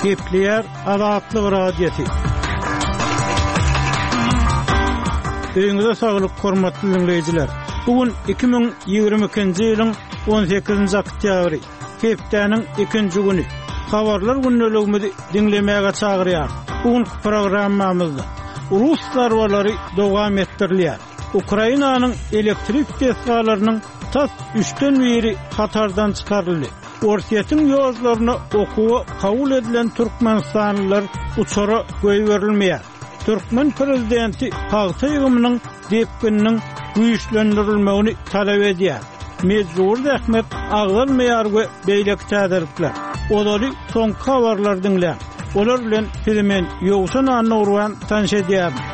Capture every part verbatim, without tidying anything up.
Gepleýär Azatlyk Radiosy. Öýüňize saglyk, hormatly diňleýjiler. Bu gün iki müň ýigrimi ikinji ýylyň on sekizinji oktýabry, hepdäniň ikinji güni. Habarlar gündeligimizi diňlemäge çagyrýar. Bu günki programmamyzda rus zarbalary dowam etdirilýär. Ukrainanyň elektrik desgalarynyň tas üçden biri hatardan çykaryldy. Orsýetiň ýollaryna okuwa kabul edilen türkmenistanlylar uçara goýberilmeýär. Türkmen prezidenti pagta ýygymynyň depgininiň güýçlendirilmegini talap edýär. Mejbur zähmet agzalmaýar we beýleki täzelikler. Ozaly soňky habarlar diňläň. Olar bilen sizi men Ýowşan Annagurban tanyş edýärin.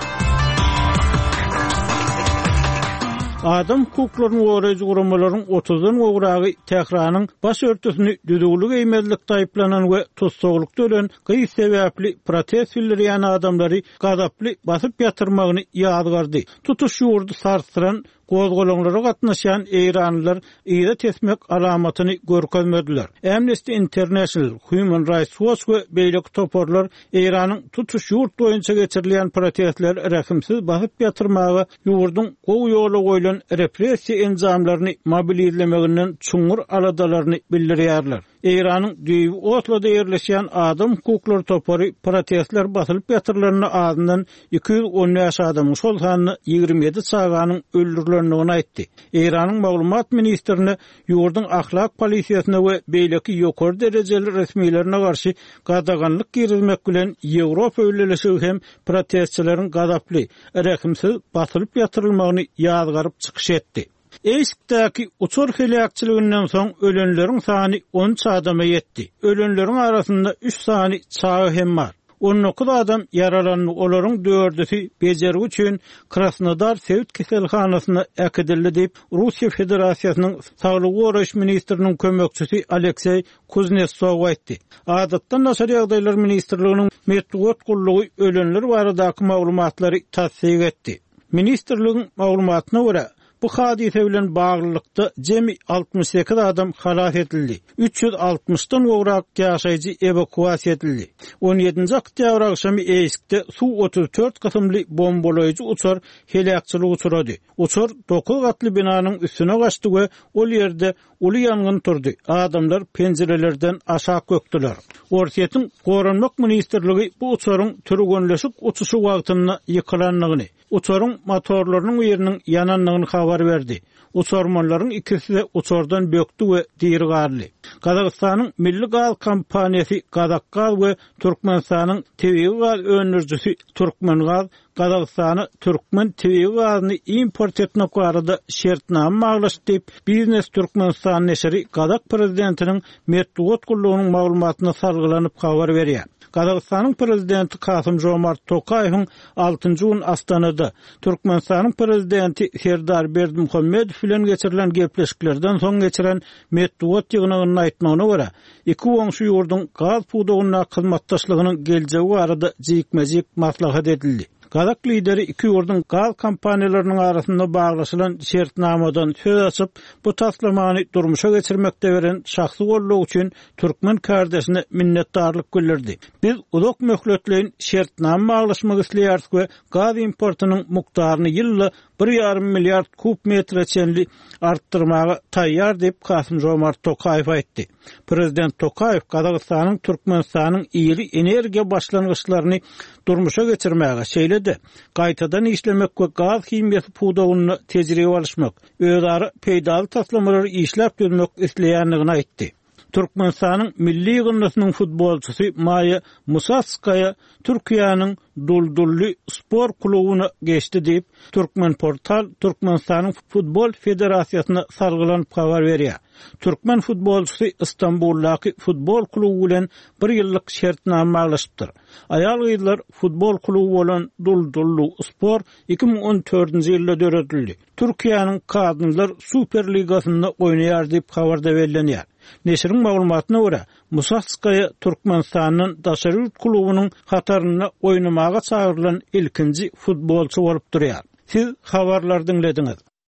Adam hukuklaryny goraýjy guramalaryň otuzdan gowragy Tähranyň baş örtüsini düzüwli geýmezlik taýyplanan we tussaglykda ölen gyz sebäpli protest bildirýän adamlary gazaply basyp ýatyrmagyny ýazgardy. Tutuş ýurdy sarsdyran gozgalaňlara gatnaşýan Eýranlylar yza tesmek alamatyny görkezmediler. Amnesty International, Human Rights Watch we beýleki toparlar Eýranyň tutuş ýurt boýunça geçirilýän protestler rehimsiz basyp ýatyrmaga ýurduň gowy ýola goýlan repressiýa enjamlaryny mobilizlemeginden çuňňur aladalaryny bildirýärler. Eýranyň düýbi Osloda ýerleşýän adam hukuklary topary protestler basylyp ýatyrylanyna azyndan iki ýüz on bäş adamyň, şol sanda ýigrimi ýedi çaganyň öldürilendigini aýtdy. Eýranyň maglumat ministrine ýurduň ahlak polisiýasyna we beýleki ýokary derejeli resmilerine garşy gadaganlyk girizmek bilen Ýewropa Bileleşigi hem protestçileriň gazaply, rehimsiz basylyp ýatyrylmagyny ýazgaryp çykyş etdi. Eýskdäki uçar heläkçiliginden soň ölenleriň sany on üç adama ýetdi. Ölenleriň arasynda üç sany çaga hem bar. On dokuz adam ýaralandy, olaryň dördüsi bejergi üçin Krasnodar sebit keselhanasyna äkidildi diýip, Russiýa Federasiýasynyň Saglygy goraýyş ministriniň kömekçisi Alekseý Kuznetsov aýtdy. Adatdan daşary ýagdaýlar ministrliginiň metbugat gullugy ölenler baradaky maglumatlary tassyk etdi. Ministrligiň maglumatyna görä, bu hadise bilen baglylykda jemi altmyş sekiz adam halas edildi. Üç ýüz altmyşdan gowrak ýaşaýjy ewakuasiýa edildi. On ýedinji oktýabr agşamy Eýskde Su otuz dört kysymly bombalaýjy uçar heläkçilik uçurady. Uçar dokuz gatly binanyň üstüne gaçdy we ol ýerde uly ýangyn turdy. Adamlar penjirelerden aşak gökdüler. Orsýetiň Goranmak ministrligi bu uçaryň türgenleşik uçuşy wagtynda ýykylandygyny, uçaryň motorlarynyň biriniň ýanandygyny habar berdi. Uçarmanlaryň ikisi de uçardan bökdi we diri galdy. Gazagystanyň Milli Gaz kompaniýasy Gazakgaz we Türkmenistanyň tebigy gaz öndürijisi Türkmengaz Gazagystana türkmen tebigy gazyny import etmek barada şertnama baglaşdy diýip, Biznes Türkmenistan neşiri Gazak prezidentiniň metbugat gullugynyň maglumatyna salgylanyp habar berýär. Gazagystanyň prezidenti Kasym Jomart Tokaýewiň altynjy gün Astanada Türkmenistanyň prezidenti Serdar Berdimuhamedow bilen geçirilen gepleşiklerden soň geçiren metbugat ýygnagynda aýtmagyna görä, iki goňşy ýurduň gaz pudagyndaky hyzmatdaşlygynyň geljegi barada jikme-jik maslahat edildi. Gazak lideri iki ýurduň gaz kompaniýalarynyň arasynda baglaşylan şertnamadan söz açyp, bu taslamany durmuşa geçirmekde beren şahsy goldaw üçin türkmen kardeşine minnetdarlyk bildirdi. Biz uzak möhletleýin şertnama baglaşmak isleýäris we gaz importynyň mukdaryny ýylda bir ýarym milliard kub metre çenli artdyrmaga taýýar diýip Kasym Jomart Tokaýew aýtdy. Prezident Tokaýew Gazagystanyň Türkmenistanyň iri energiýa başlangyçlaryny durmuşa geçirmäge, şeýle-de gaýtadan işlemek we gaz himiýasy pudagynda tejribe alyşmak, özara peýdaly taslamalary işläp düzmek isleýändigini aýtdy. Türkmenistanyň milli ýygyndysynyň futbolçysy Maýa Musatskaýa Türkiýäniň Duldully spor klubyna geçdi diýip, Türkmenportal Türkmenistanyň Futbol Federasiýasyna salgylanyp habar berýär. Türkmen futbolçysy Istanbuldaky futbol kluby bilen bir ýyllyk şertnama baglaşypdyr. Aýal-gyzlar futbol kluby bolan Duldully spor iki müň on dördünji ýylda döredildi. Türkiýäniň Kadınlar Süper Ligasynda oýnaýar diýip habarda bellenýär. Neşiriň maglumatyna görä, Musatskaýa Türkmenistandan daşary ýurt klubunyň hatarynda oýnamaga çagyrylan ilkinji futbolçy bolup durýar. Siz habarlar diňlediňiz.